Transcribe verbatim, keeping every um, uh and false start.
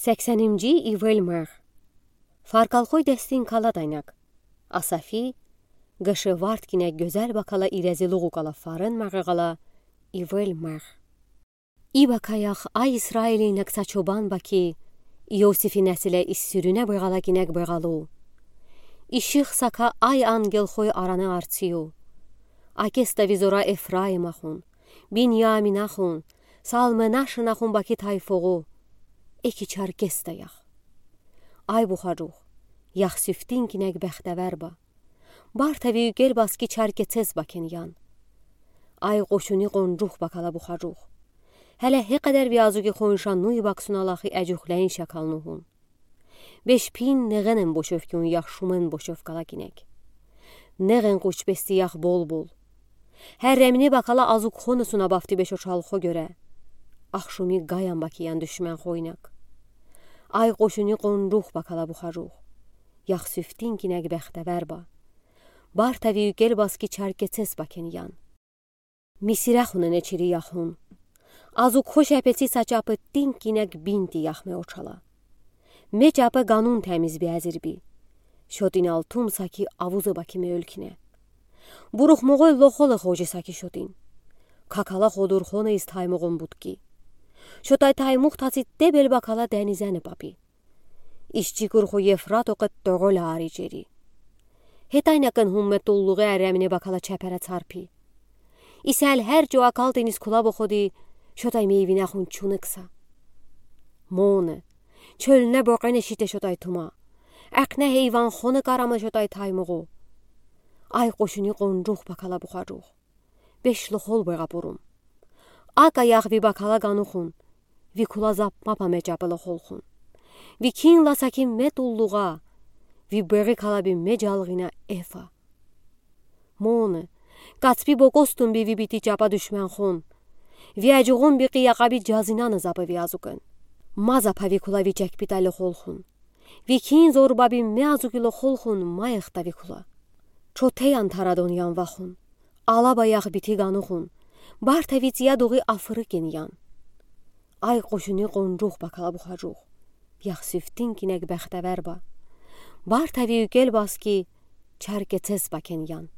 Seksəninci ivvel mığ. Farkalxoy dəstin kala daynaq. Asafi, qışı vard kinə gözəl bakala irəzi luğu qala farın mığ qala ivvel mığ. İ bakayax, ay İsraili nıqsa çoban baki, İosifi nəsilə is sürünə bığala kinə bığalu. İşıq saka ay anqelxoy aranı artsiyu. Akestə vizora Efraimaxon, Binyaminaxon, Salmınaşınaxon baki tayfoğu, eki çarkestəyax. Ay buxaruğ, yax süftin kinə bəxtəvər ba. Bartəvi ükel bas ki çarketsəz baken yan. Ay qoşuni qonruğ bakala buxaruğ. Hələ he qədər viazu ki xonşa nuy baksuna laxi əcuxləyin şakalnuhun. Beş pin neğenen boşöv ki un yax şumen boşöv qala kinək. Neğen quç besti yax bol-bol. Hərrəmini bakala azuq xonusuna bafti beşo çalxo görə. Axşumi qayan bakiyan düşmən xoynaq. Ay qoşuni qonruğ bakala buxaruğ. Yax süftin kinək bəxtəvər ba. Bartəvi ükel bas ki çarketsəz baken yan. Misirəxonən eçiri yaxun. Azuq xoş əpetsi saçapı tin kinək binti yax me oçala. Me çapı qanun təmiz bi əzir bi. Şotin altum saki avuzı baki me ölkinə. Buruxmoğoy loxolı xoci saki şotin. Kakala xodur xonə iz taymoğon butki. Şotay taymuq tasi tebel bakala dənizəni papi. İşçi qurxu Yefrat oqı toğol ari ceri. Hetay nəkən hummə tulluği ərəmini bakala çəpərə çarpi. İsəl hər co akal deniz kula boxodi, şotay meyvinəxun çunıqsa. Monı, çölünə boğenə şitə şotay tuma. Əqnə heyvan xonı qaramı şotay taymoğu. Ay qoşuni qonruğ bakala buxaruğ. Beş loxol bığa burum. Aka yax vi bakala qanuxun. Vi kula zapma pamə çapı loxolxun. Vi kin lasa ki me tulluğa. Vi bığı kala bi me calğina efa. Monı, qatspi bokostun bi vi biti çapa düşmənxon. Vi əcuğun bi qiyaqa bi cazinanı zapı vi azukən. Ma zapa vi kula vi çəkpitə loxolxun. Vi kin zorba bi me azuki loxolxun ma exta vi kula. Çotə yan taradon yan vaxun. Alaba yax biti qanuxun. Bartə vi tsiya doği afırıken yan. Ay qoşuni qonruğ bakala buxaruğ. Yax süftin kinək bəxtəvər ba. Bartə vi ükel bas ki çarketsəz baken yan.